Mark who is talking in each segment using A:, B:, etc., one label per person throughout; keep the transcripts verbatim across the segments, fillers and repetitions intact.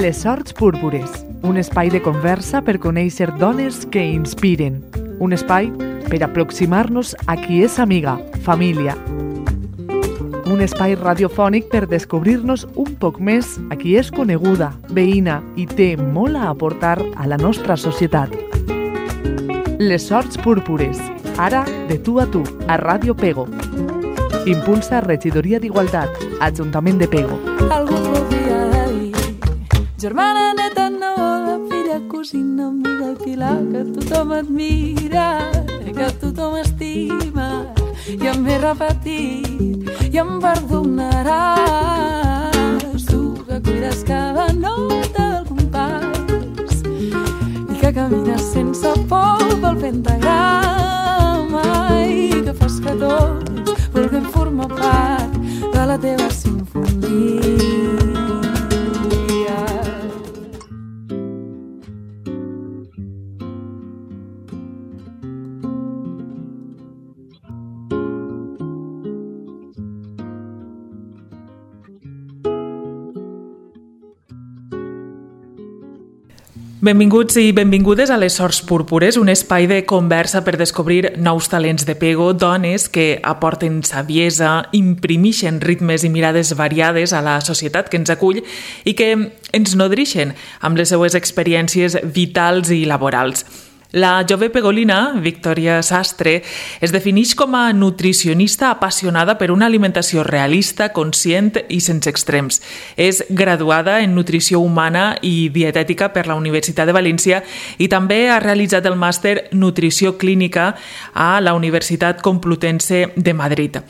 A: Les Sorts Púrpures, un espai de conversa per conèixer dones que inspiren. Un espai per aproximar-nos a qui és amiga, família. Un espai radiofònic per descobrir-nos un poc més a qui és coneguda, veïna i té molt a aportar a la nostra societat. Les Sorts Púrpures, ara de tu a tu, a Ràdio Pego. Impulsa Regidoria d'Igualtat, Ajuntament de Pego.
B: Algú podria dir, germana, neta, neboda, filla, cosina, amiga, pilar, que tothom admira, que tothom estima, i em ve repetit, i em perdonaràs, tu que cuides cada nota del compàs, i que camines sense por pel pentagrama, i que fas que tots vulguem formar part de la teva sinfonia.
C: Benvinguts i benvingudes a Les Sorts Púrpures, un espai de conversa per descobrir nous talents de Pego, dones que aporten saviesa, imprimixen ritmes i mirades variades a la societat que ens acull i que ens nodrixen amb les seues experiències vitals i laborals. La jove pegolina, Victòria Sastre, es defineix com a nutricionista apassionada per una alimentació realista, conscient i sense extrems. És graduada en nutrició humana i dietètica per la Universitat de València i també ha realitzat el màster Nutrició Clínica a la Universitat Complutense de Madrid.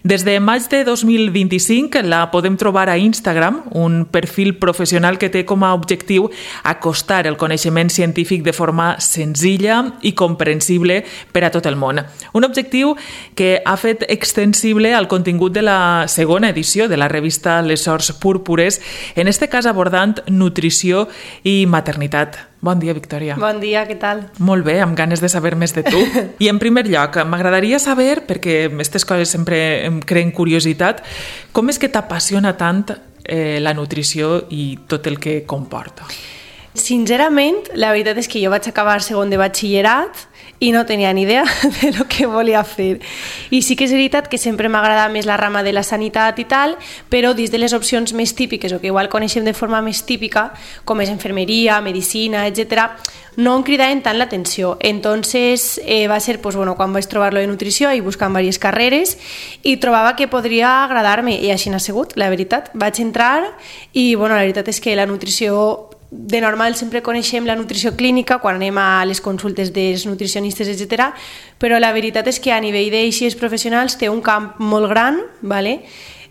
C: Des de maig de dos mil vint-i-cinc la podem trobar a Instagram, un perfil professional que té com a objectiu acostar el coneixement científic de forma senzilla i comprensible per a tot el món. Un objectiu que ha fet extensible al contingut de la segona edició de la revista Les Sorts Púrpures, en este cas abordant nutrició i maternitat. Bon dia, Victòria.
D: Bon dia, què tal?
C: Molt bé, amb ganes de saber més de tu. I en primer lloc, m'agradaria saber, perquè aquestes coses sempre em creen curiositat, com és que t'apassiona tant eh, la nutrició i tot el que comporta?
D: Sincerament, la veritat és que jo vaig acabar segon de batxillerat i no tenia ni idea de lo que volia fer. I sí que és veritat que sempre m'agrada més la rama de la sanitat i tal, però dins de les opcions més típiques, o que igual coneixem de forma més típica, com és infermeria, medicina, etcètera, no em cridaven tant l'atenció. Entonces eh, va ser pues, bueno, quan vaig trobar-lo de nutrició i buscant diverses carreres i trobava que podria agradar-me i així n'ha sigut, la veritat. Vaig entrar i bueno, la veritat és que la nutrició de normal sempre coneixem la nutrició clínica quan anem a les consultes dels nutricionistes, etcètera, però la veritat és que a nivell d'eixes professionals té un camp molt gran, ¿vale?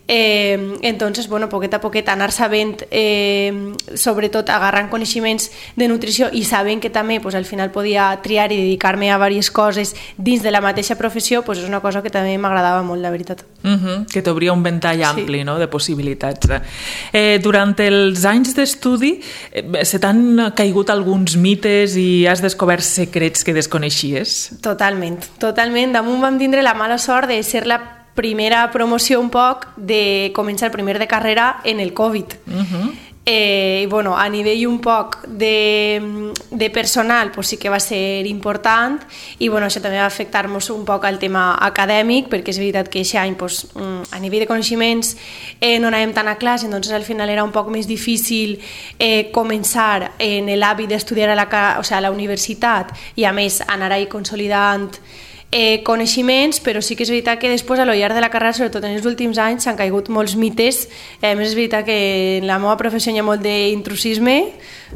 D: Eh, entonces, bueno, poquet a poquet anar sabent, eh, sobretot agarrant coneixements de nutrició i sabent que també pues, al final podia triar i dedicar-me a diverses coses dins de la mateixa professió, pues, és una cosa que també m'agradava molt, la veritat.
C: Uh-huh, que t'obria un ventall ampli, sí, no?, de possibilitats. Eh, durant els anys d'estudi eh, se t'han caigut alguns mites i has descobert secrets que desconeixies?
D: Totalment, totalment. Damunt vam tindre la mala sort de ser la primera promoció un poc de començar el primer de carrera en el Covid. Uh-huh. Eh, i bueno, a nivell un poc de, de personal pues sí que va ser important i bueno, això també va afectar-nos un poc al tema acadèmic, perquè és veritat que aquest any pues, a nivell de coneixements eh, no anàvem tant a classe, entonces al final era un poc més difícil eh, començar en l'hàbit d'estudiar a la, o sigui, a la universitat i a més anar ahí consolidant Eh, coneixements, però sí que és veritat que després a lo llarg de la carrera, sobretot en els últims anys, s'han caigut molts mites. A més és veritat que en la meva professió hi ha molt d'intrusisme,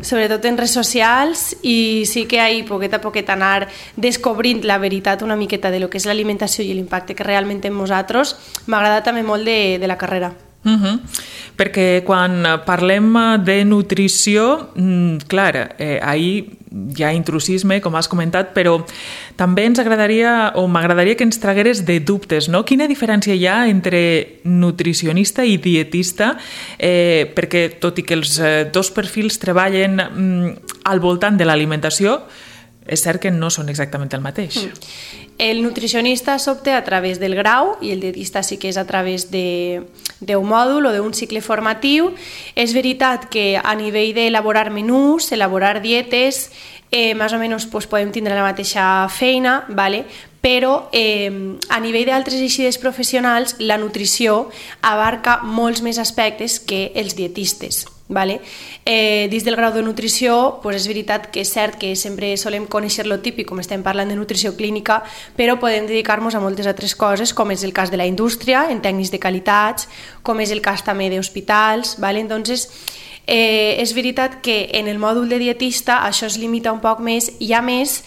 D: sobretot en redes socials, i sí que hi poquet a poquet anar descobrint la veritat una miqueta de lo que és l'alimentació i l'impacte que realment té en nosaltres. M'agrada també molt de, de la carrera.
C: Uh-huh. Perquè quan parlem de nutrició, clar, eh, ahir hi ha intrusisme, com has comentat, però també ens agradaria, o m'agradaria que ens tragueres de dubtes, no? Quina diferència hi ha entre nutricionista i dietista? Eh, perquè tot i que els dos perfils treballen mm, al voltant de l'alimentació, és cert que no són exactament el mateix.
D: El nutricionista s'obté a través del grau i el dietista sí que és a través de, d'un mòdul o d'un cicle formatiu. És veritat que a nivell d'elaborar menús, elaborar dietes, eh, més o menys pues, podem tindre la mateixa feina, vale? Però eh, a nivell d'altres eixides professionals la nutrició abarca molts més aspectes que els dietistes. Vale? Eh, dins del grau de nutrició pues és veritat que és cert que sempre solem conèixer lo típic, com estem parlant de nutrició clínica, però podem dedicar-nos a moltes altres coses, com és el cas de la indústria, en tècnics de qualitats, com és el cas també d'hospitals. Vale? Entonces, eh, és veritat que en el mòdul de dietista això es limita un poc més i a més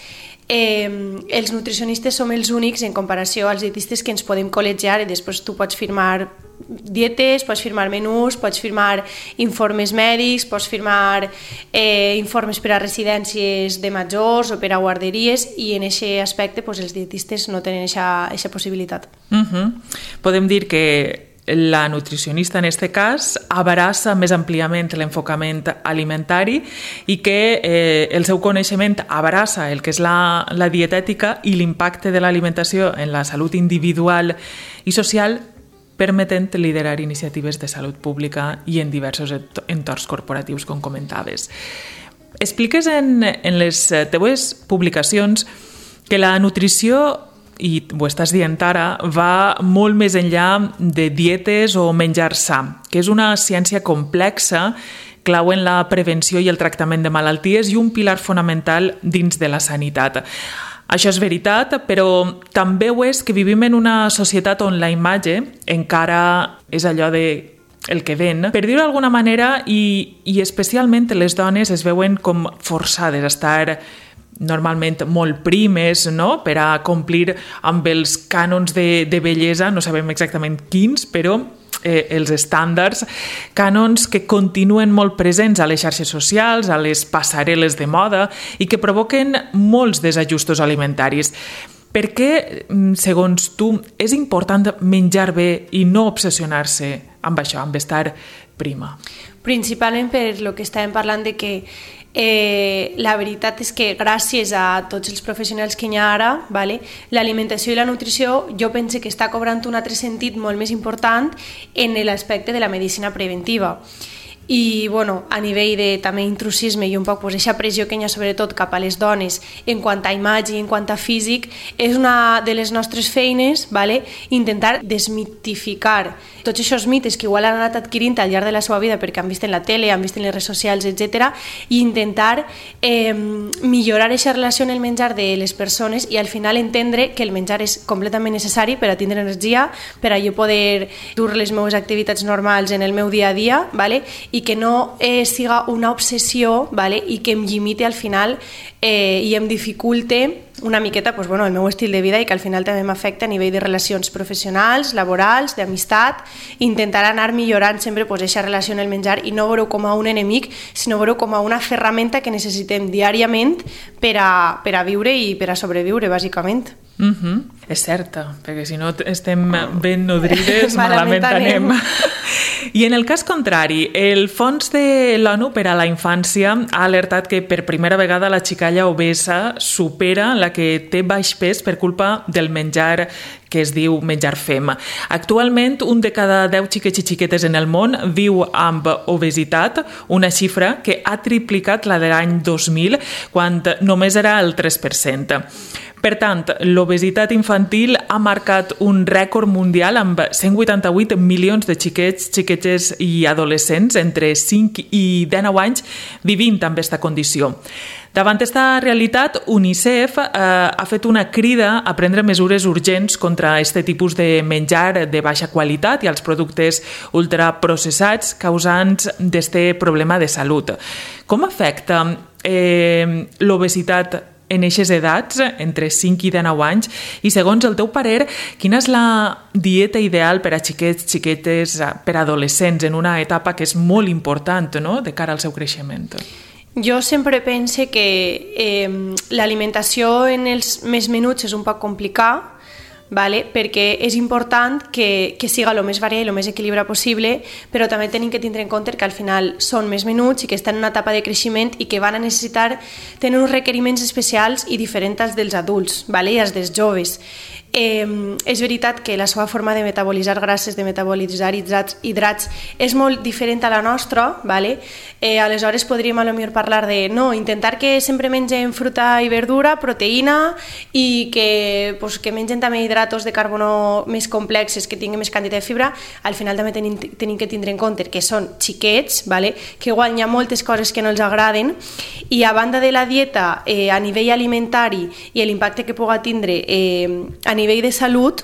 D: Eh, els nutricionistes som els únics en comparació als dietistes que ens podem col·legiar i després tu pots firmar dietes, pots firmar menús, pots firmar informes mèdics, pots firmar eh, informes per a residències de majors o per a guarderies i en aquest aspecte pues, els dietistes no tenen aquesta possibilitat.
C: Uh-huh. Podem dir que la nutricionista en aquest cas abraça més àmpliament l'enfocament alimentari i que eh, el seu coneixement abraça el que és la, la dietètica i l'impacte de l'alimentació en la salut individual i social, permetent liderar iniciatives de salut pública i en diversos entorns corporatius, com comentaves. Expliques en, en les teues publicacions que la nutrició, i ho estàs dient ara, va molt més enllà de dietes o menjar sa, que és una ciència complexa, clau en la prevenció i el tractament de malalties i un pilar fonamental dins de la sanitat. Això és veritat, però també ho és que vivim en una societat on la imatge encara és allò de el que ven, per dir-ho d'alguna manera, i, i especialment les dones es veuen com forçades a estar normalment molt primes, no?, per a complir amb els cànons de, de bellesa, no sabem exactament quins, però eh, els estàndards, cànons que continuen molt presents a les xarxes socials, a les passarel·les de moda i que provoquen molts desajustos alimentaris. Per què, segons tu, és important menjar bé i no obsessionar-se amb això, amb estar prima?
D: Principalment per lo que estàvem parlant de que Eh, la veritat és que gràcies a tots els professionals que hi ha ara, vale, l'alimentació i la nutrició jo penso que està cobrant un altre sentit molt més important en l'aspecte de la medicina preventiva. I bueno, a nivell de també intrusisme i un poc pues, aquesta pressió que hi ha sobretot cap a les dones en quant a imatge i en quant a físic, és una de les nostres feines, vale? Intentar desmitificar tots aquests mites que igual han anat adquirint al llarg de la seva vida perquè han vist en la tele, han vist en les redes socials, etcètera, i intentar eh, millorar aquesta relació en el menjar de les persones i al final entendre que el menjar és completament necessari per a tindre energia, per a jo poder dur les meves activitats normals en el meu dia a dia, vale? I que no eh, siga una obsessió, vale? I que em limite al final eh, i em dificulte una miqueta pues, bueno, el meu estil de vida i que al final també m'afecta a nivell de relacions professionals, laborals, d'amistat, intentar anar millorant sempre pues, aquesta relació en el menjar i no veure-ho com a un enemic, sinó veure-ho com a una ferramenta que necessitem diàriament per a, per a viure i per a sobreviure, bàsicament.
C: Mm-hmm. És certa, perquè si no estem ben nodrides, malament anem. I en el cas contrari, el Fons de l'ONU per a la Infància ha alertat que per primera vegada la xicalla obesa supera la que té baix pes per culpa del menjar que es diu menjar fem. Actualment, un de cada deu xiquets i xiquetes en el món viu amb obesitat, una xifra que ha triplicat la de l'any dos mil, quan només era el tres per cent. Per tant, l'obesitat infantil ha marcat un rècord mundial amb cent vuitanta-vuit milions de xiquets, xiquetes i adolescents entre cinc i dinou anys vivint amb aquesta condició. Davant aquesta realitat, UNICEF eh, ha fet una crida a prendre mesures urgents contra aquest tipus de menjar de baixa qualitat i els productes ultraprocessats causants d'aquest problema de salut. Com afecta eh, l'obesitat en aquestes edats, entre cinc i dinou anys, i segons el teu parer, quina és la dieta ideal per a xiquets, xiquetes, per a adolescents en una etapa que és molt important, no?, de cara al seu creixement?
D: Jo sempre pense que eh, l'alimentació en els més menuts és un poc complicat, vale? Perquè és important que, que siga el més variat i el més equilibrat possible, però també tenim que tindre en compte que al final són més menuts i que estan en una etapa de creixement i que van a necessitar tenir uns requeriments especials i diferents als dels adults, vale? I als dels joves. Eh, és veritat que la seva forma de metabolitzar grasses, de metabolitzar hidrats, hidrats és molt diferent a la nostra, vale? eh, aleshores podríem a lo millor parlar de no, intentar que sempre mengem fruita i verdura, proteïna i que, pues, que mengen també hidratos de carbono més complexes, que tinguin més quantitat de fibra. Al final també tenim, tenim que tindre en compte que són xiquets, vale? Que igual hi ha moltes coses que no els agraden, i a banda de la dieta eh, a nivell alimentari i l'impacte que pugui tindre eh, a nivell de salut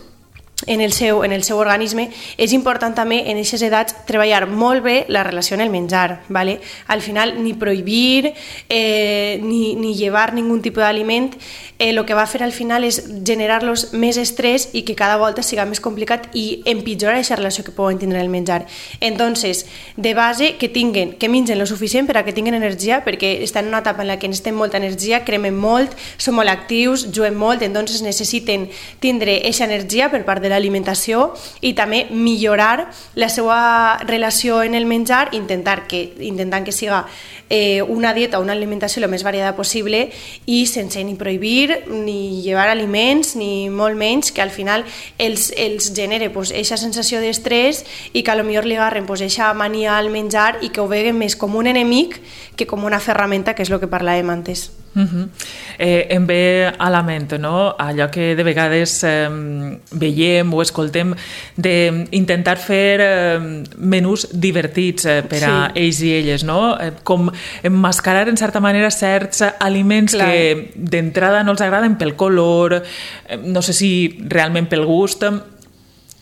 D: en el seu, en el seu organisme, és important també en aquestes edats treballar molt bé la relació en el menjar, ¿vale? Al final ni prohibir eh, ni, ni llevar ningú tipus d'aliment, eh, el que va fer al final és generar-los més estrès i que cada volta siga més complicat i empitjorar aquesta relació que poden tindre el menjar. Entonces, de base, que tinguen, que mengen lo suficient per a que tinguin energia, perquè estan en una etapa en la que necessiten molta energia, cremen molt, són molt actius, juguen molt, entonces necessiten tindre aquesta energia per part de l'alimentació i també millorar la seva relació en el menjar, intentar que, intentant que siga eh, una dieta o una alimentació el més variada possible i sense ni prohibir ni llevar aliments ni molt menys, que al final els, els genere pues, eixa sensació d'estrès i que a lo millor li agarren pues, eixa mania al menjar i que ho veguen més com un enemic que com una ferramenta, que és el que parlàvem antes.
C: Uh-huh. eh, em ve a la ment, no? Allò que de vegades eh, veiem o escoltem d'intentar fer eh, menús divertits eh, per a sí. ells i elles, no? Eh, com emmascarar en certa manera certs aliments Clar. que d'entrada no els agraden pel color, eh, no sé si realment pel gust,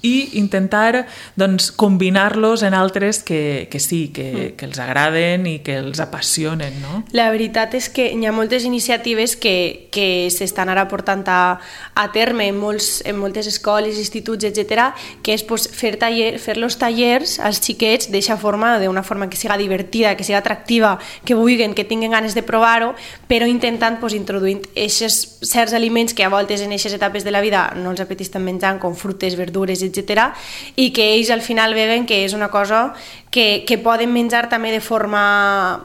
C: i intentar doncs, combinar-los en altres que, que sí, que, que els agraden i que els apassionen, no?
D: La veritat és que hi ha moltes iniciatives que, que s'estan ara portant a, a terme en, molts, en moltes escoles, instituts, etcètera, que és pues, fer, taller, fer los tallers als xiquets d'eixa forma, d'una forma que siga divertida, que siga atractiva, que vulguin, que tinguin ganes de provar-ho, però intentant pues, introduir aquests certs aliments que a voltes en aquestes etapes de la vida no els apeteixen menjant, com fruites, verdures, etcètera, i que ells al final veuen que és una cosa que, que poden menjar també de forma,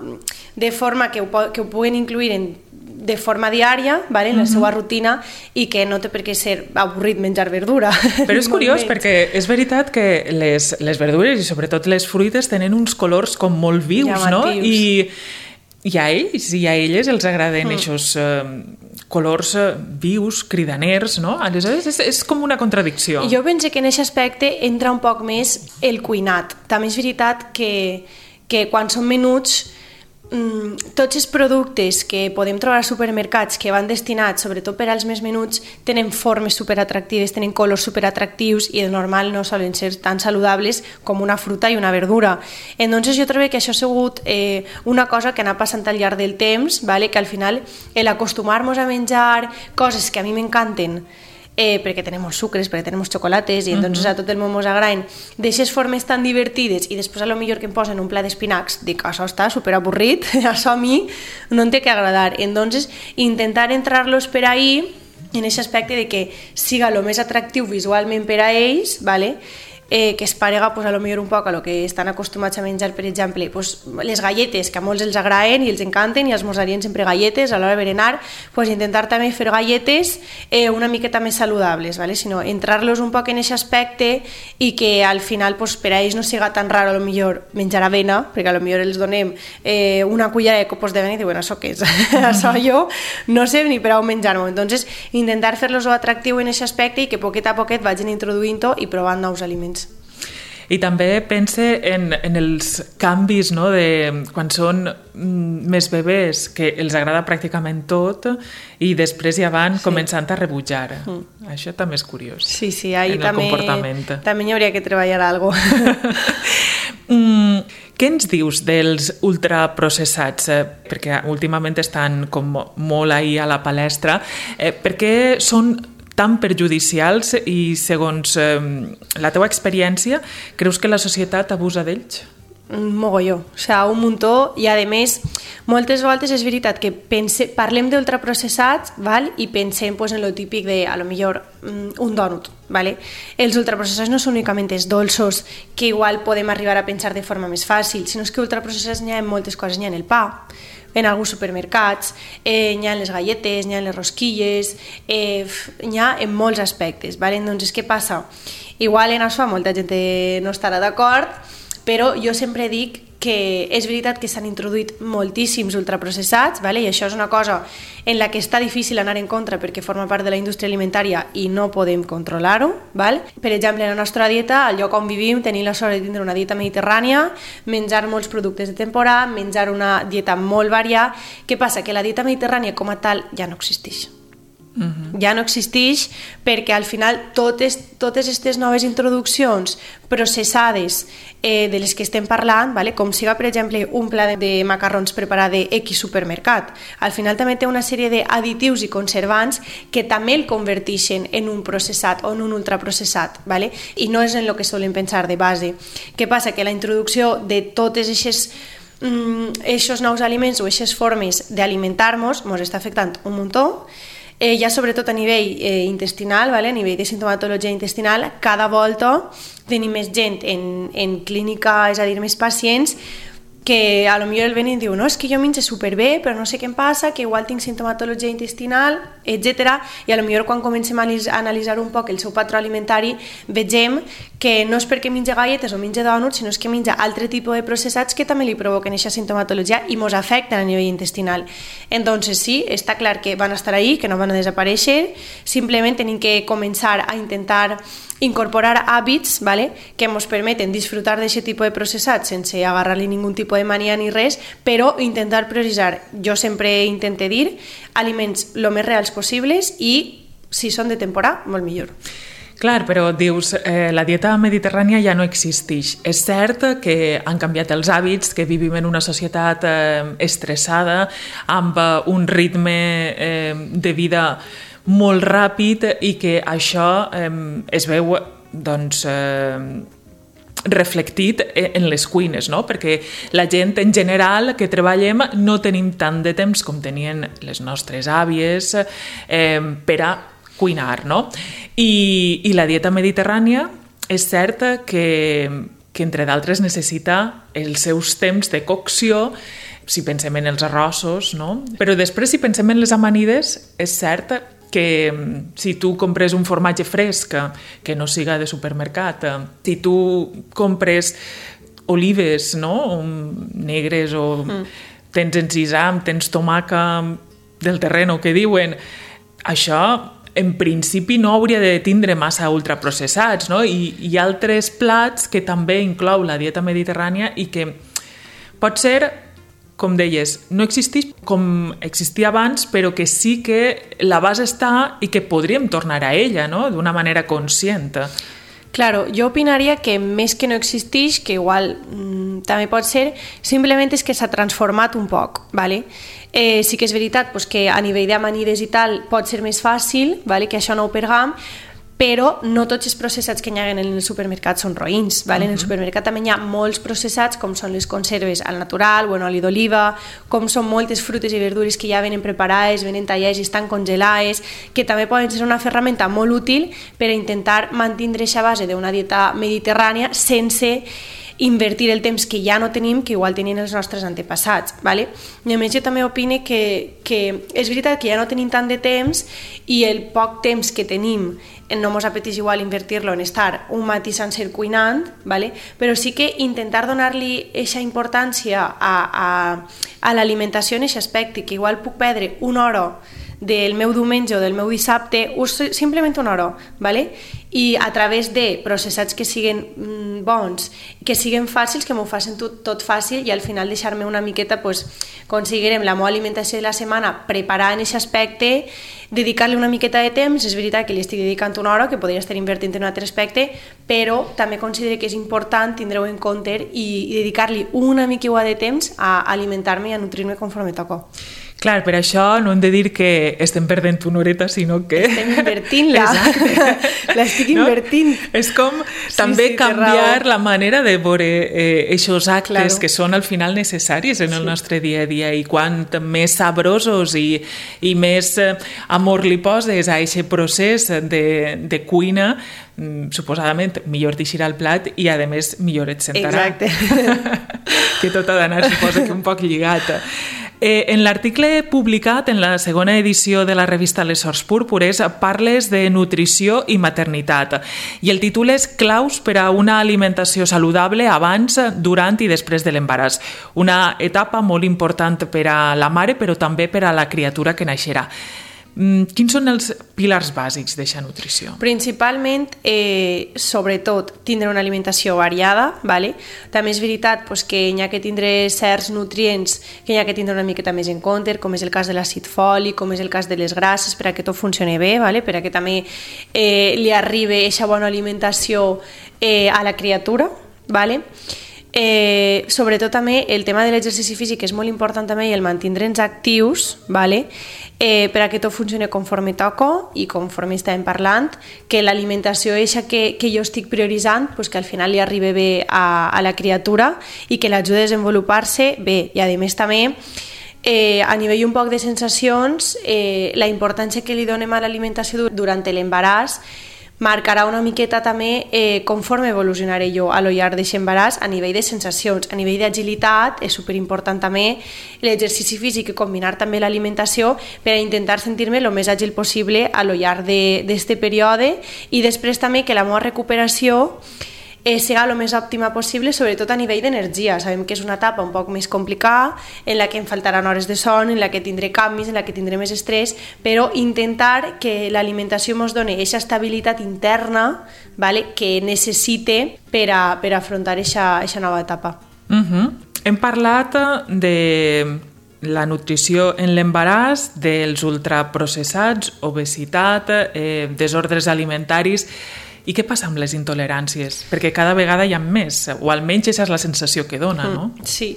D: de forma que, ho, que ho puguen incluir en, de forma diària, vale, en la seva rutina, i que no té per què ser avorrit menjar verdura.
C: Però és curiós perquè és veritat que les, les verdures i sobretot les fruites tenen uns colors com molt vius, llamatius. No? I, i a ells i a elles els agraden mm. aquests eh, colors vius, cridaners, no? Aleshores és, és com una contradicció.
D: Jo penso que en aquest aspecte entra un poc més el cuinat. També és veritat que, que quan són menuts, mmm, tots els productes que podem trobar als supermercats que van destinats, sobretot per als més menuts, tenen formes superatractives, tenen colors superatractius i de normal no solen ser tan saludables com una fruta i una verdura. Entonces jo trobo que això ha sigut eh, una cosa que ha anat passant al llarg del temps, vale? Que al final l'acostumar-nos a menjar coses que a mi m'encanten, Eh, perquè tenim molts sucres, perquè tenim molts xocolates i entonces uh-huh. a tot el món mos agraden d'aixes formes tan divertides i després a lo millor que em posen un plat d'espinacs, dic, això està superavorrit, això a mi no em té que agradar. Entonces intentar entrar-los per ahí en aquest aspecte de que siga el més atractiu visualment per a ells, ¿vale? Eh, que es parega pues, a lo millor un poc a lo que estan acostumats a menjar, per exemple, pues, les galletes, que a molts els agraden i els encanten i esmorzarien sempre galletes a l'hora de berenar, pues, intentar també fer galletes eh, una miqueta més saludables, ¿vale? Sinó entrar-los un poc en aquest aspecte i que al final pues, per a ells no siga tan raro a lo millor menjar avena, perquè a lo millor els donem eh, una cullera de copos d'avena i diuen, això què és? Això jo no sé ni per on menjar-m'ho. Entonces, intentar fer-los atractiu en aquest aspecte i que poquet a poquet vagin introduint-ho i provant nous aliments.
C: I també pense en, en els canvis, no? De quan són més bebès, que els agrada pràcticament tot i després ja van sí. començant a rebutjar. Mm. Això també és curiós.
D: Sí, sí, ahí
C: en
D: també,
C: el comportament.
D: També hi hauria que treballar alguna cosa.
C: mm, què ens dius dels ultraprocessats? Eh, perquè últimament estan com molt ahí a la palestra. Eh, per què són tan perjudicials i segons eh, la teua experiència creus que la societat abusa d'ells?
D: un mogolló, o sigui, un muntó, i a més, moltes voltes és veritat que pense, parlem d'ultraprocessats, val? I pensem pues, en lo típic de, a lo millor, un dònut, vale? Els ultraprocessats no són únicament els dolços que igual podem arribar a pensar de forma més fàcil, sinó que ultraprocessats n'hi ha en moltes coses, n'hi ha en el pa, en alguns supermercats, eh, n'hi ha en les galletes, n'hi ha en les rosquilles, eh, n'hi ha en molts aspectes, vale? Doncs què passa? Igual en això molta gent no estarà d'acord, però jo sempre dic que és veritat que s'han introduït moltíssims ultraprocessats, vale? I això és una cosa en la que està difícil anar en contra perquè forma part de la indústria alimentària i no podem controlar-ho. Vale? Per exemple, en la nostra dieta, al lloc on vivim, tenim la sort de tindre una dieta mediterrània, menjar molts productes de temporada, menjar una dieta molt variada. Què passa? Que la dieta mediterrània com a tal ja no existeix. Uh-huh. Ja no existeix perquè al final totes totes aquestes noves introduccions processades eh, de les que estem parlant, vale? Com siga per exemple un pla de, de macarrons preparat de X supermercat, al final també té una sèrie d'additius i conservants que també el converteixen en un processat o en un ultraprocessat, vale? I no és en el que solem pensar de base. Què passa? Que la introducció de totes aquestes aquests nous aliments o aquestes formes d'alimentar-nos ens està afectant un muntó. Eh, ja sobretot a nivell eh, intestinal, vale? A nivell de sintomatologia intestinal, cada volta tenim més gent en, en clínica, és a dir, més pacients que a lo millor el ven i diu no, és que jo menjo superbé, però no sé què em passa, que igual tinc sintomatologia intestinal, etcètera. I a lo millor quan comencem a analitzar un poc el seu patró alimentari vegem que no és perquè menja galletes o menja dònuts, sinó que menja altre tipus de processats que també li provoquen aquesta sintomatologia i ens afecten a nivell intestinal. Entonces sí, està clar que van estar ahí, que no van a desaparèixer, simplement tenim que començar a intentar incorporar hàbits, vale, que ens permeten disfrutar d'aquest tipus de processats sense agarrar-li ningun tipus de mania ni res, però intentar prioritzar, jo sempre intento dir, aliments el més reals possibles i, si són de temporada, molt millor.
C: Clar, però dius, eh, la dieta mediterrània ja no existeix. És cert que han canviat els hàbits, que vivim en una societat eh, estressada, amb un ritme eh, de vida molt ràpid i que això eh, es veu doncs, eh, reflectit en les cuines, no? Perquè la gent en general que treballem no tenim tant de temps com tenien les nostres àvies eh, per a cuinar, no? I, i la dieta mediterrània és cert que, que entre d'altres necessita els seus temps de cocció, si pensem en els arrossos, no? Però després, si pensem en les amanides, és cert que si tu compres un formatge fresc que no siga de supermercat, si tu compres olives, no? Negres o mm. tens encisam, tens tomaca del terreno que diuen, això en principi no hauria de tindre massa ultraprocessats, no? I hi ha altres plats que també inclou la dieta mediterrània i que pot ser, com deies, no existeix com existia abans, però que sí que la base està i que podríem tornar a ella, no? D'una manera conscient.
D: Claro, jo opinaria que més que no existeix, que igual mmm, també pot ser, simplement és que s'ha transformat un poc, ¿vale? Eh, sí que és veritat pues, que a nivell d'amanides i tal pot ser més fàcil, ¿vale? Que això no ho perdem, però no tots els processats que hi ha en el supermercat són roïns. Vale? Uh-huh. En el supermercat també hi ha molts processats, com són les conserves al natural o en oli d'oliva, com són moltes frutes i verdures que ja venen preparades, venen tallades i estan congelades, que també poden ser una ferramenta molt útil per a intentar mantenir aquesta base d'una dieta mediterrània sense invertir el temps que ja no tenim, que igual tenien els nostres antepassats. Vale? I a més jo també opine que, que és veritat que ja no tenim tant de temps i el poc temps que tenim no ens apeteix igual invertir-lo en estar un matí sencer cuinant, vale? Però sí que intentar donar-li aquesta importància a, a, a l'alimentació en aquest aspecte, que igual puc perdre una hora del meu diumenge o del meu dissabte, o simplement una hora, vale? I a través de processats que siguen mm, bons, que siguen fàcils, que m'ho facin tot, tot fàcil i al final deixar-me una miqueta, pues, aconseguirem la meva alimentació de la setmana preparada en aquest aspecte, dedicar-li una miqueta de temps, és veritat que li estic dedicant una hora, que podria estar invertint en un altre aspecte, però també considero que és important tindre-ho en compte i, i dedicar-li una mica de temps a alimentar-me i a nutrir-me conforme toca.
C: Clar, per això no hem de dir que estem perdent una horeta, sinó que...
D: Estem invertint-la.
C: Exacte.
D: L'estic invertint.
C: No? És com sí, també sí, canviar la manera de veure eh, eixos actes claro. que són al final necessaris en el sí. nostre dia a dia, i quant més sabrosos i, i més eh, amor li poses a aquest procés de, de cuina, suposadament millor t'eixirà el plat i a més millor et sentarà.
D: Exacte.
C: Que tot ha d'anar, suposa que un poc lligat. Eh, en l'article publicat en la segona edició de la revista Les Sors Púrpures parles de nutrició i maternitat, i el títol és Claus per a una alimentació saludable abans, durant i després de l'embaràs. Una etapa molt important per a la mare, però també per a la criatura que naixerà. Quins són els pilars bàsics d'aquesta nutrició?
D: Principalment, eh, sobretot, tindre una alimentació variada, ¿vale? També és veritat pues, que hi ha que tindre certs nutrients que hi ha que tindre una miqueta més en compte, com és el cas de l'àcid fòlic, com és el cas de les grasses, per a que tot funcioni bé, ¿vale? Per a que també eh, li arribi aquesta bona alimentació eh, a la criatura, ¿vale? Eh, sobretot també el tema de l'exercici físic és molt important també, i el mantindre'ns actius, ¿vale? eh, per a que tot funcioni conforme toca i conforme estàvem parlant, que l'alimentació eixa que, que jo estic prioritzant pues que al final li arribi bé a, a la criatura i que l'ajude a desenvolupar-se bé, i a més també Eh, a nivell un poc de sensacions, eh, la importància que li donem a l'alimentació durant l'embaràs marcarà una miqueta també eh, conforme evolucionaré jo a lo llarg d'aquest embaràs a nivell de sensacions, a nivell d'agilitat. És superimportant també l'exercici físic i combinar també l'alimentació per a intentar sentir-me el més àgil possible a lo llarg d'aquest període, i després també que la meva recuperació Eh, siga el més òptima possible, sobretot a nivell d'energia. Sabem que és una etapa un poc més complicada, en la que em faltaran hores de son, en la que tindré canvis, en la que tindré més estrès, però intentar que l'alimentació ens doni aquesta estabilitat interna, ¿vale? Que necessite per a, per a afrontar aquesta nova etapa.
C: Uh-huh. Hem parlat de la nutrició en l'embaràs, dels ultraprocessats, obesitat, eh, desordres alimentaris. I què passa amb les intoleràncies? Perquè cada vegada hi ha més, o almenys aquesta és la sensació que dona, no?
D: Sí,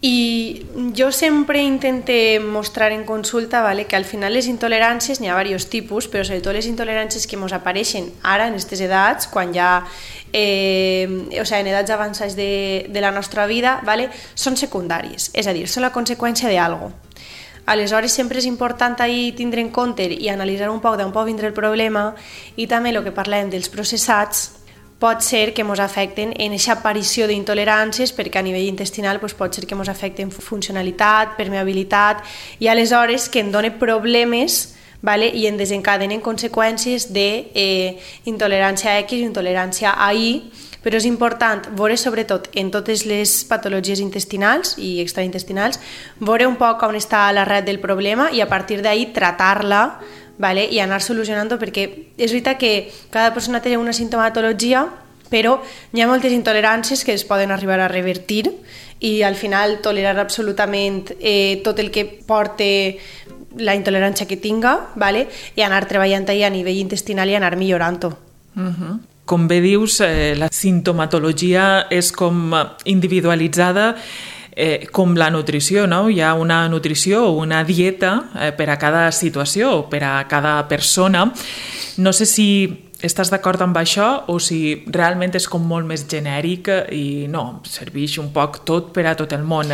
D: i jo sempre intente mostrar en consulta, ¿vale? Que al final les intoleràncies n'hi ha diversos tipus, però sobretot les intoleràncies que ens apareixen ara en aquestes edats, quan ja eh, o sigui, en edats avançades de, de la nostra vida, ¿vale? Són secundàries, és a dir, són la conseqüència d'algo. Aleshores, sempre és important ahir tindre en compte i analitzar un poc d'on pot vindre el problema, i també el que parlem dels processats pot ser que ens afecten en aquesta aparició d'intoleràncies, perquè a nivell intestinal doncs, pot ser que ens afecten funcionalitat, permeabilitat, i aleshores que en dona problemes, ¿vale? I en desencadenen conseqüències d'intolerància eh, X o intolerància a Y. Però és important veure, sobretot en totes les patologies intestinals i extraintestinals, veure un poc on està l'arrel del problema i a partir d'ahí tratar-la, ¿vale? I anar solucionant-ho, perquè és veritat que cada persona té una sintomatologia, però hi ha moltes intoleràncies que es poden arribar a revertir, i al final tolerar absolutament eh, tot el que porta la intolerància que tinga, ¿vale? I anar treballant ahí a nivell intestinal i anar millorant-ho.
C: Uh-huh. Com bé dius, eh, la sintomatologia és com individualitzada eh, com la nutrició, no? Hi ha una nutrició o una dieta eh, per a cada situació o per a cada persona. No sé si estàs d'acord amb això o si realment és com molt més genèric i no, serveix un poc tot per a tot el món.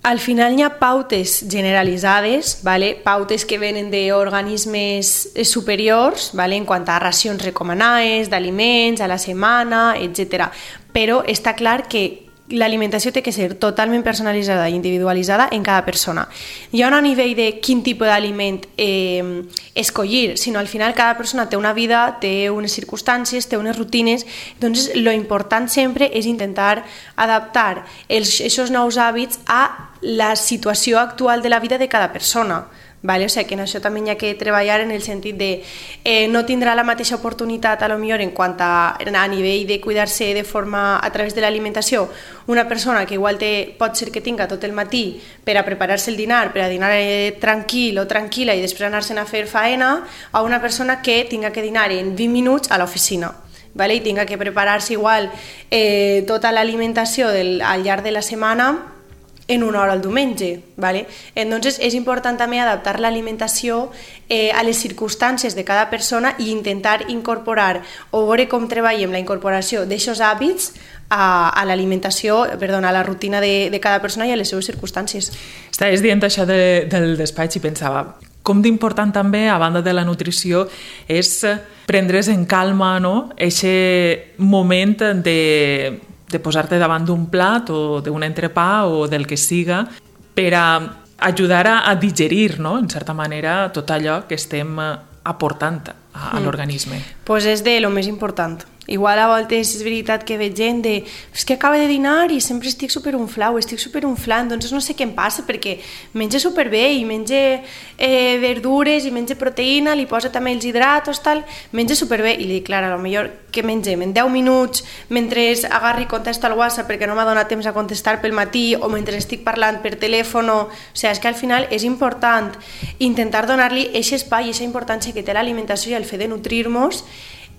D: Al final hi ha pautes generalitzades, ¿vale? Pautes que venen d'organismes superiors, ¿vale? En quant a racions recomanades, d'aliments, a la setmana, etcètera. Però està clar que l'alimentació té que ser totalment personalitzada i individualitzada en cada persona. Hi ha un nivell de quin tipus d'aliment eh, escollir, sinó al final cada persona té una vida, té unes circumstàncies, té unes rutines, doncs lo important sempre és intentar adaptar els, els nous hàbits a la situació actual de la vida de cada persona. Vale? O sigui, que en això també hi ha que treballar en el sentit de eh, no tindrà la mateixa oportunitat a lo millor en quant a, a nivell de cuidar-se de forma a través de l'alimentació una persona que igual té, pot ser que tinga tot el matí per a preparar-se el dinar, per a dinar eh, tranquil o tranquil·la i després anar-se'n a fer faena, a una persona que tinga que dinar en vint minuts a l'oficina. Vale? I tinga que preparar-se igual eh, tota l'alimentació del, al llarg de la setmana en una hora al diumenge. ¿Vale? Entonces és important també adaptar l'alimentació eh, a les circumstàncies de cada persona i intentar incorporar o veure com treballem la incorporació d'aixòs hàbits a, a l'alimentació, perdona, a la rutina de, de cada persona i a les seves circumstàncies.
C: Estaves dient això de, del despatx i pensava com d'important també, a banda de la nutrició, és prendre's en calma, no? Eixe moment de, de posar-te davant d'un plat o d'un entrepà o del que siga per a ajudar a, a digerir, no? En certa manera, tot allò que estem aportant a, a mm. l'organisme.
D: Pues és de lo més important. Igual a voltes és veritat que veig gent de és que acaba de dinar i sempre estic superunflau, estic superunflant, doncs no sé què em passa perquè menja superbé i menja eh, verdures i menja proteïna, li posa també els hidratos, tal, menja superbé i li dic, clar, a lo millor que mengem en deu minuts mentre agarri i contesto al WhatsApp perquè no m'ha donat temps a contestar pel matí o mentre estic parlant per telèfon, o sigui, és que al final és important intentar donar-li aquest espai i aquesta importància que té l'alimentació i el fet de nutrir-nos.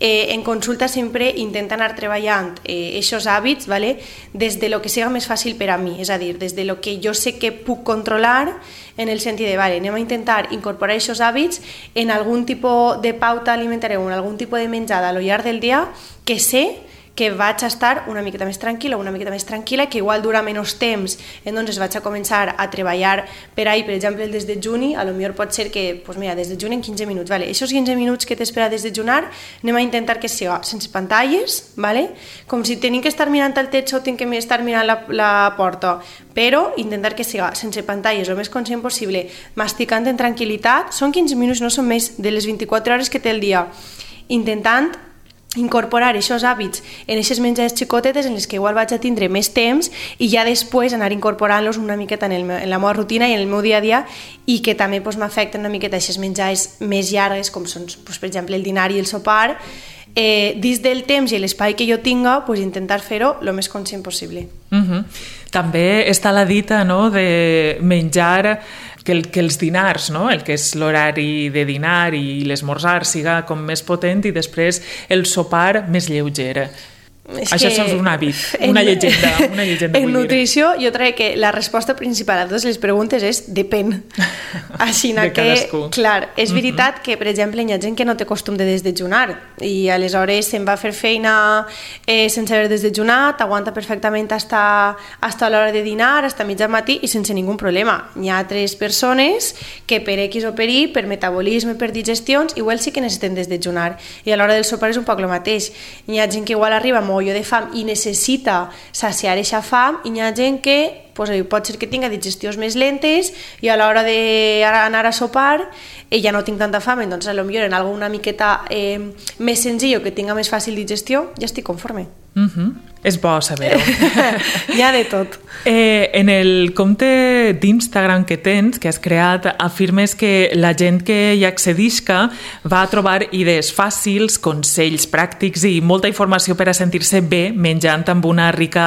D: Eh, en consulta sempre intenta anar treballant aquests eh, hàbits, ¿vale? Des de lo que siga més fàcil per a mi, és a dir, des de lo que jo sé que puc controlar, en el sentit de, vale, anem a intentar incorporar aquests hàbits en algun tipus de pauta alimentària o en algun tipus de menjada a lo llarg del dia que sé que vaig a estar una miqueta més tranquil·la, una miqueta més tranquil·la, que igual dura menys temps, entonces vaig a començar a treballar per ahí, per exemple, el desdejuni, a lo millor pot ser que, pues mira, desdejuni en quinze minuts, vale? Aquests quinze minuts que t'espera desdejunar, anem a intentar que siga sense pantalles, vale? Com si tenim que estar mirant al techo o tenim que estar mirant la, la porta, però intentar que siga sense pantalles, el més conscient possible, masticant en tranquil·litat, són quinze minuts, no són més de les vint-i-quatre hores que té el dia, intentant incorporar aquests hàbits en aquestes menjades xicotetes en les que igual vaig a tindre més temps i ja després anar incorporant-los una miqueta en, el meu, en la meva rutina i en el meu dia a dia i que també pues, m'afecten una miqueta aquestes menjades més llargues com són, pues, per exemple, el dinar i el sopar, eh, dins del temps i l'espai que jo tinga, pues, intentar fer-ho el més conscient possible.
C: Uh-huh. També està la dita, no?, de menjar que, el, que els dinars, no?, el que és l'horari de dinar i l'esmorzar siga com més potent i després el sopar més lleuger. És Això és un hàbit, una en, llegenda. Una llegenda
D: en nutrició jo crec que la resposta principal a totes les preguntes és depèn. Així que, cadascú. Clar, és veritat uh-huh. que, per exemple, hi ha gent que no té costum de desdejunar i aleshores se'n va fer feina eh, sense haver desdejunat, aguanta perfectament hasta, hasta l'hora de dinar, hasta mitjà matí i sense ningú problema. Hi ha altres persones que per X o per Y, per metabolisme, per digestions, igual sí que necessiten desdejunar i a l'hora del sopar és un poc el mateix. Hi ha gent que igual arriba molt molló de fam i necessita saciar aquesta fam i hi ha gent que pues, pot ser que tinga digestions més lentes i a l'hora d'anar a sopar eh, ja no tinc tanta fam, doncs potser en alguna miqueta eh, més senzill o que tinga més fàcil digestió ja estic conforme.
C: Uh-huh. És bo saber-ho.
D: Hi ha de tot.
C: Eh, en el compte d'Instagram que tens, que has creat, afirmes que la gent que hi accedisca va a trobar idees fàcils, consells pràctics i molta informació per a sentir-se bé menjant amb una rica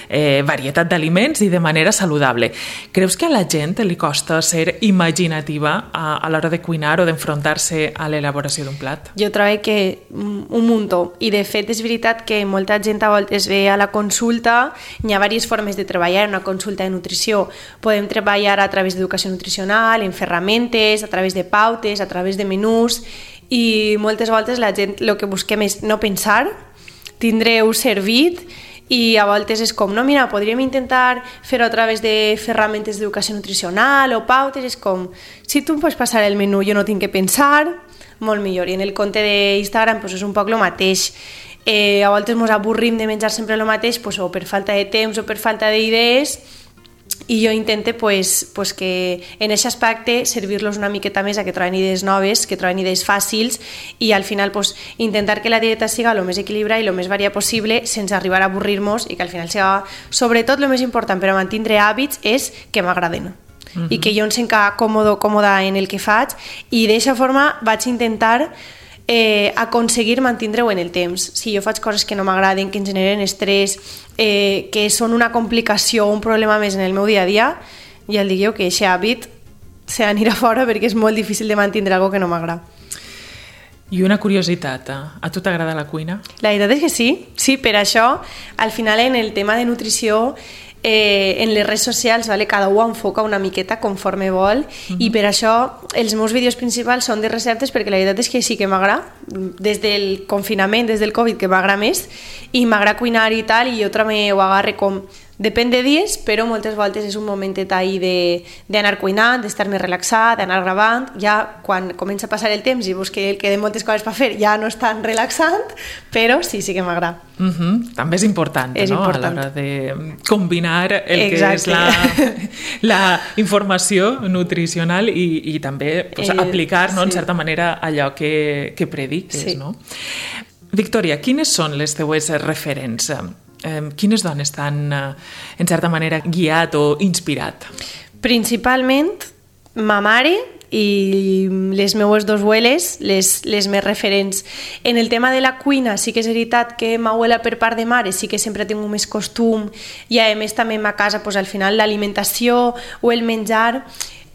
C: eh, varietat d'aliments i de manera saludable. Creus que a la gent li costa ser imaginativa a, a l'hora de cuinar o d'enfrontar-se a l'elaboració d'un plat?
D: Jo trobo que un muntó. I de fet és veritat que molta gent a voltes ve a la consulta, hi ha diverses formes de treballar en una consulta de nutrició. Podem treballar a través d'educació nutricional, en ferramentes, a través de pautes, a través de menús, i moltes voltes la gent el que busquem és no pensar, tindreu servit, i a voltes és com, no, mira, podríem intentar fer-ho a través de ferramentes d'educació nutricional o pautes, és com, si tu em pots passar el menú, jo no tinc que pensar, molt millor. I en el compte d'Instagram pues, és un poc el mateix. Eh, a voltes ens avorrim de menjar sempre el mateix pues, o per falta de temps o per falta d'idees i jo intento pues, pues que en aquest aspecte servir-los una miqueta més a que troben idees noves, que troben idees fàcils i al final pues, intentar que la dieta siga el més equilibrada i el més variada possible sense arribar a avorrir-nos i que al final siga, sobretot el més important per a mantenir hàbits és que m'agraden. Uh-huh. I que jo em senta còmode, còmoda en el que faig i d'aquesta forma vaig intentar Eh, aconseguir mantenir-ho en el temps. Si jo faig coses que no m'agraden, que em generen estrès, eh, que són una complicació o un problema més en el meu dia a dia, ja el dic jo que aquest hàbit s'ha d'anar a fora perquè és molt difícil de mantenir alguna que no m'agrada.
C: I una curiositat, a tu t'agrada la cuina?
D: La veritat és que sí, sí, per això al final en el tema de nutrició eh, en les redes socials, vale? Cada un enfoca una miqueta conforme vol, mm-hmm. i per això els meus vídeos principals són de receptes, perquè la veritat és que sí que m'agrada, des del confinament, des del Covid, que m'agrada més, i m'agrada cuinar i tal, i jo també ho agarre com... Depèn de dies, però moltes voltes és un momentet ahí d'anar cuinant, d'estar més relaxat, d'anar gravant. Ja quan comença a passar el temps i veus que el queden moltes coses per fer, ja no és tan relaxant, però sí, sí que m'agrada.
C: Uh-huh. També és important,
D: és
C: no?
D: important.
C: A l'hora de combinar el
D: Exacte.
C: que és la, la informació nutricional i, i també pues, eh, aplicar, no, sí. en certa manera, allò que, que prediques. Sí. No? Victòria, quines són les teues referents? Eh, quines dones t'han, eh, en certa manera, guiat o inspirat?
D: Principalment, ma mare i les meues dos abueles, les, les més referents. En el tema de la cuina, sí que és veritat que ma abuela per part de mare sí que sempre tinc més costum, i a més també a ma casa, pues, al final l'alimentació o el menjar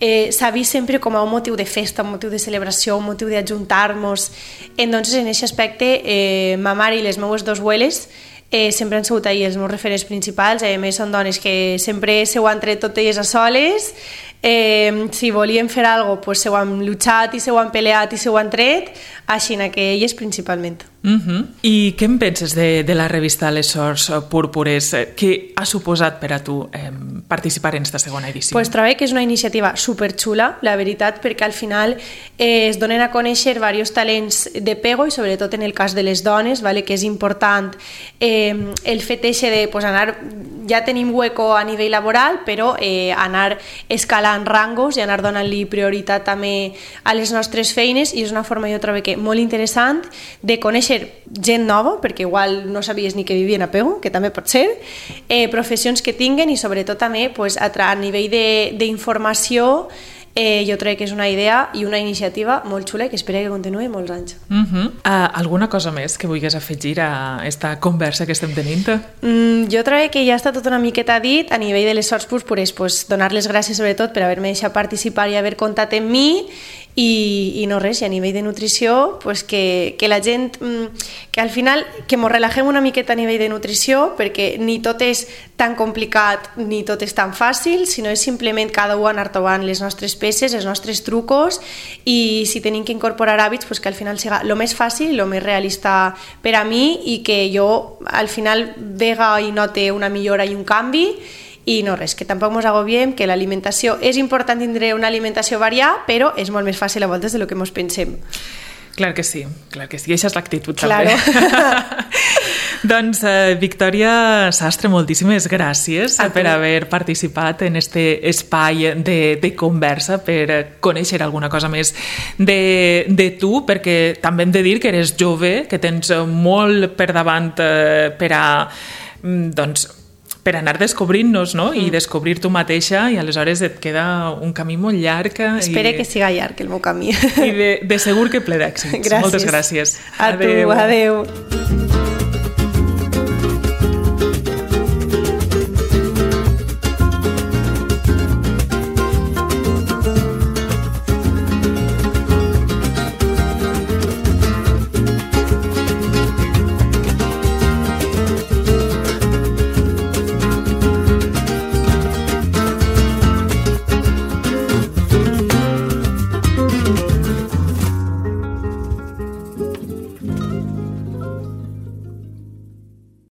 D: eh, s'ha vist sempre com a un motiu de festa, un motiu de celebració, un motiu d'ajuntar-nos. Entonces, en aquest aspecte, eh, ma mare i les meues dos abueles Eh, sempre han sigut ahir els meus referents principals. A més són dones que sempre se ho han tret tot elles a soles, eh, si volien fer alguna cosa pues, se ho han luchat i se ho han peleat i se ho han tret, així que elles principalment.
C: Uh-huh. I què en penses de, de la revista Les Sors Púrpures? Què ha suposat per a tu eh, participar en esta segona edició?
D: Pues trobo que és una iniciativa superxula, la veritat, perquè al final eh, es donen a conèixer diversos talents de pego, i sobretot en el cas de les dones, vale, que és important eh, el fet eixe de pues, anar, ja tenim hueco a nivell laboral, però eh, anar escalant rangos i anar donant-li prioritat també a les nostres feines, i és una forma, jo trobo que molt interessant de conèixer gent nova, perquè igual no sabies ni que vivien a Pego, que també pot ser, eh, professions que tinguen, i sobretot també pues, a, a nivell d'informació, eh, jo crec que és una idea i una iniciativa molt xula i que espero que continuï molts anys.
C: Uh-huh. uh, alguna cosa més que vulguis afegir a esta conversa que estem tenint?
D: Mm, jo crec que ja està tot una miqueta dit. A nivell de les Sors Púrpures, pues, donar les gràcies sobretot per haver-me deixat participar i haver comptat amb mi. I, i no res, i a nivell de nutrició pues que, que la gent, que al final que mos relagem una miqueta a nivell de nutrició, perquè ni tot és tan complicat ni tot és tan fàcil, sinó és simplement cada un anar trobant les nostres peces, els nostres trucos, i si tenim que incorporar hàbits pues que al final siga el més fàcil, el més realista per a mi, i que jo al final vega i note una millora i un canvi. I no res, que tampoc ens agobiem, que l'alimentació és important tindre una alimentació variada, però és molt més fàcil a voltes de lo que ens pensem.
C: Clar que sí, clar que sí, i aquesta és l'actitud
D: claro.
C: també. Doncs, eh, Victòria Sastre, moltíssimes gràcies per haver participat en este espai de, de conversa, per conèixer alguna cosa més de, de tu, perquè també hem de dir que eres jove, que tens molt per davant eh, per a, doncs, per anar descobrint-nos, no? Mm. I descobrir tu mateixa, i aleshores et queda un camí molt llarg.
D: Espero
C: i...
D: que siga llarg el meu camí.
C: I de, de segur que ple d'èxits.
D: Gràcies.
C: Moltes gràcies.
D: A adeu. Tu, adeu.